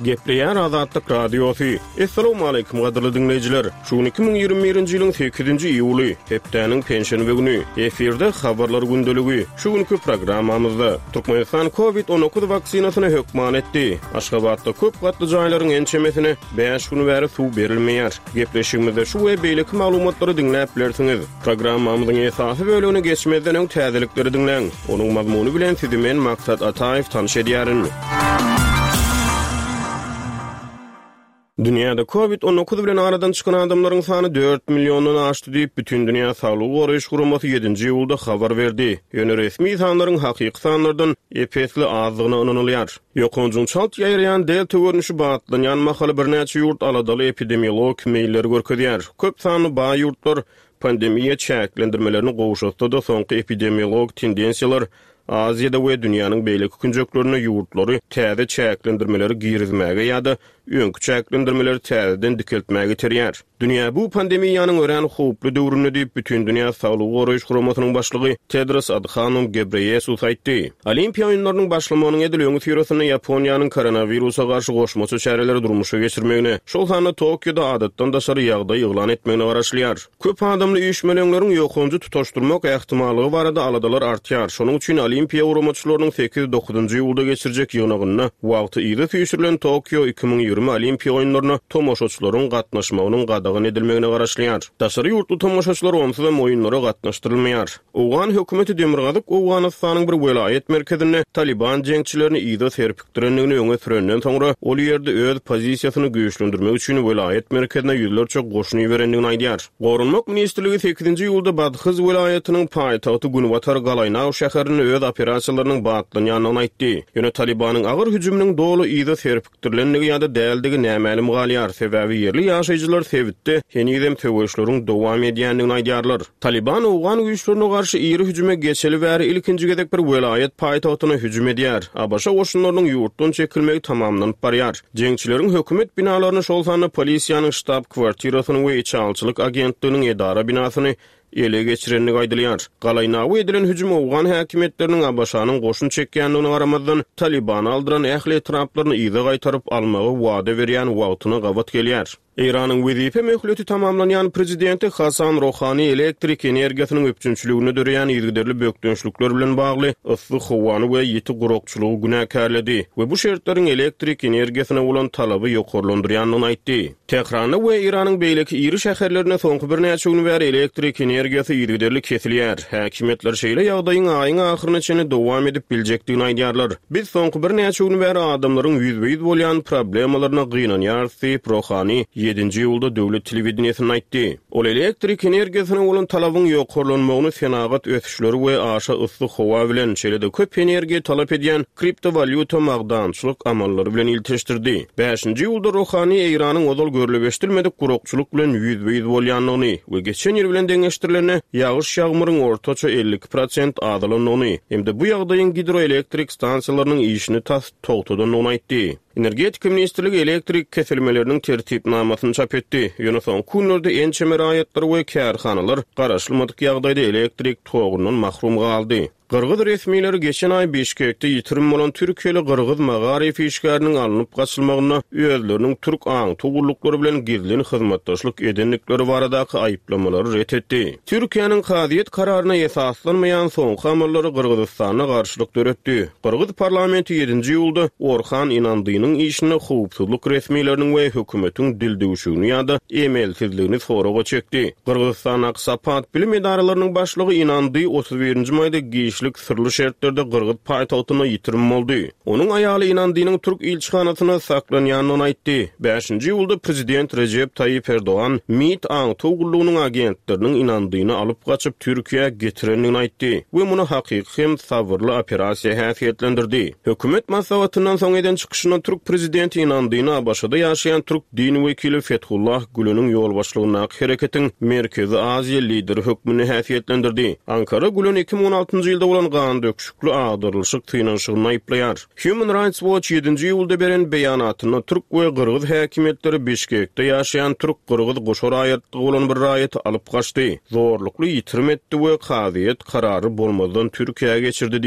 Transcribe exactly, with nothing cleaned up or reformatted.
Gepleýär Azatlyk Radiosy. Essalawmaleýkim gadyrly diňleýjiler! Şu gün iki müň ýigrimi birinji ýylyň sekizinji iýuly, hepdäniň penşenbe güni. Efirde Habarlar gündeligi. Şu günki programmamyzda, Türkmenistan Covid on dokuz waksinasyny hökman etdi. Aşgabatda köp gatly jaýlaryň ençemesine bäş gün bäri suw berilmeýär. Gepleşigimizde şu we beýleki maglumatlary diňläp bilersiňiz. Programmamyzyň esasy bölegine geçmezden öň täzelikleri diňläň. Onuň mazmuny bilen sizi men Maksat Ataýew tanyş edýärin. Dünýäde Covid on dokuz bilen aradan çykan adamlaryň sany dört milliondan aşdy diýip, Bütindünýä Saglygy Goraýyş Guramasy ýedinji iýulda habar berdi. Ýöne resmi sanlaryň hakyky sanlardan ep-esli azdygyna ynanylýar. Ýokanjyň çalt ýaýraýan delta görnüşi batlanýan mahaly birnäçe ýurt aladaly epidemiologik meýilleri görkezýär. Köp sanly baý ýurtlar pandemiýa çäklendirmelerini gowşatsa-da, soňky epidemiologik tendensiýalar Aziýada we dünýäniň beýleki künjeklerinde ýurtlary täze çäklendirmeleri girizmäge ýa-da öňki çäklendirmeleri täzeden dikeltmäge iterýär. Dünýä bu pandemiýanyň örän howply döwründe diýip, Bütindünýä Saglygy Goraýyş Guramasynyň başlygy Tedros Adhanom Ghebreyesus aýtdy. Olimpiýa oýunlarynyň başlamagynyň edil öňüsyrasynda Ýaponiýanyň koronawirusa garşy goşmaça çäreleri durmuşa geçirmegine, şol sanda Tokioda adatdan daşary ýagdaý yglan etmegine garaşylýar. Köp adamly üýşmeleňleriň ýokanjy tutaşdyrmak ähtimallygy barada aladalar artýar. Şonuň üçin Olimpiýa guramaçylarynyň sekiz-dokuzynjy iýulda geçirjek ýygnagynda wagty yza süýşürilen Tokio iki müň ýigrimi Olimpiýa oýunlaryna tomaşaçylaryň gatnaşmagynyň gadagan edilmegine garaşylýar. Daşary ýurtly tomaşaçylar onsuzam oýunlara gatnaşdyrylmaýar. Owgan hökümeti Demirgazyk Owganystanyň bir welaýat merkezinde Taliban jeňçilerini yza serpikdirendigini öňe sürenden soňra, ol ýerde öz pozisiýasyny güýçlendirmek üçin welaýat merkezine ýüzlerçe goşun iberendigini aýdýar. Goranmak ministrligi sekizinji iýulda Badhyz welaýatynyň paýtagty Günbatar Galaýnaw şäherinde öz operasiýalarynyň batlanýandygyny aýtdy. Ýöne Talibanyň agyr hüjüminiň doly yza serpikdirilendigi ýa-da däldigi nämälim galýar, sebäbi ýerli ýaşaýjylar sebitde henizem söweşleriň dowam edýändigini aýdýarlar. Taliban owgan güýçlerine garşy iri hüjüme geçeli bäri ilkinji gezek bir welaýat paýtagtyna hüjüm edýär. A B Ş goşunlarynyň ýurtdan çekilmegi tamamlanyp barýar. Jeňçileriň hökümet binalaryny, şol sanda polisiýanyň ştab kwartirasyny we içalçylyk agentliginiň edara binasyny ele geçirendigi aýdylýar. Galaýnawa edilen hüjüm owgan häkimiýetleriniň A B Ş-nyň goşun çekýändigine garamazdan Talibany aldyran ähli etraplaryny yza gaýtaryp almagy wada berýän wagtyna gabat gelýär. Eýranyň wezipe möhleti tamamlanýan prezidenti Hasan Rohani elektrik energiýasynyň üpjünçiligine döreýän yzygiderli bökdençlikler bilen bagly yssy howany we ýiti gurakçylygy günäkärledi we bu şertleriň elektrik energiýasyna bolan talaby ýokarlandyrýandygyny aýtdy. Tähranda we Eýranyň beýleki iri şäherlerinde soňky birnäçe gün bäri elektrik energiýasy yzygiderli kesilýär. Häkimiýetler şeýle ýagdaýyň aýyň ahyryna çenli dowam edip biljekdigini aýdýarlar. Biz soňky birnäçe gün bäri adamlaryň ýüzbe-ýüz bolýan problemalaryna gynanýarys diýip, Rohani ýedinji iýulda döwlet telewideniýesinde aýtdy. Ol elektrik energiýasyna bolan talabyň ýokarlanmagyny senagat ösüşleri we aşa yssy howa bilen, şeýle-de köp energiýa talap edýän kriptowalýuta magdançylyk amallary bilen ilteşdirdi. Bäşinji iýulda Rohani Eýranyň ozal görlüp eşidilmedik gurakçylyk bilen ýüzbe-ýüz bolýandygyny we geçen ýyl bilen deňeşdirilende ýagyş ýagmyryň ortaça elli iki prosent azalandygyny hem-de bu ýagdaýyň gidroelektrik stansiýalarynyň işini tas togtadandygyny aýtdy. Energetika ministrligi elektrik kesilmeleriniň tertipnamasyny çap etdi. Ýöne soňky günlerde ençeme raýatlar we kärhanalar garaşylmadyk ýagdaýda elektrik togundan mahrum galdy. Gyrgyz resmileri geçen aý Bişkekde ýitirim bolan Türkiýeli Gyrgyz magaryf işgäriniň alnyp gaçylmagynda özleriniň türk aňtaw gulluklary bilen gizlin hyzmatdaşlyk edendikleri baradaky aýyplamalary ret etdi. Türkiýäniň kazyýet kararyna esaslanmaýan soňky amallary Gyrgyzystanda garşylyk döretdi. Gyrgyz parlamenti ýedinji iýulda Orhan Inandynyň işinde howpsuzlyk resmileriniň we hökümetiň dildüwşügini ýa-da emelsizligini soraga çekdi. Gyrgyzystandaky Sapat bilim edaralarynyň başlygy Inandy otuz birinji maýda giçlik syrly şertlerde Gyrgyz paýtagtynda ýitirim boldy. Onuň aýaly Inandynyň türk ilçihanasyna saklanýandygyny aýtdy. Bäşinji iýulda prezident Rejep Taýyp Erdogan MİT aňtaw gullugynyň agentleriniň Inandyny alyp gaçyp Türkiýä getirendigini aýtdy we muny hakyky hem sabyrly operasiýa häsiýetlendirdi. Hökümet maslahatyndan soň eden çykyşynda türk prezidenti Inandyny A B Ş-da ýaşaýan türk din wekili Fethullah Gülen'iň ýolbaşçylygyndaky hereketiň Merkezi Aziýa lideri hökmünde häsiýetlendirdi. Ankara Gülen iki müň on altynjy ýylda bolan gan döküşikli agdarylyşyk synanyşygyny aýyplaýar. Human Rights Watch ýedinji iýulda beren beýanatynda türk we gyrgyz häkimiýetleri Bişkekde ýaşaýan türk-gyrgyz goşa raýatlygy bolan bir raýaty alyp gaçdy, zorlukly ýitirim etdi we kazyýet karary bolmazdan Türkiýä geçirdi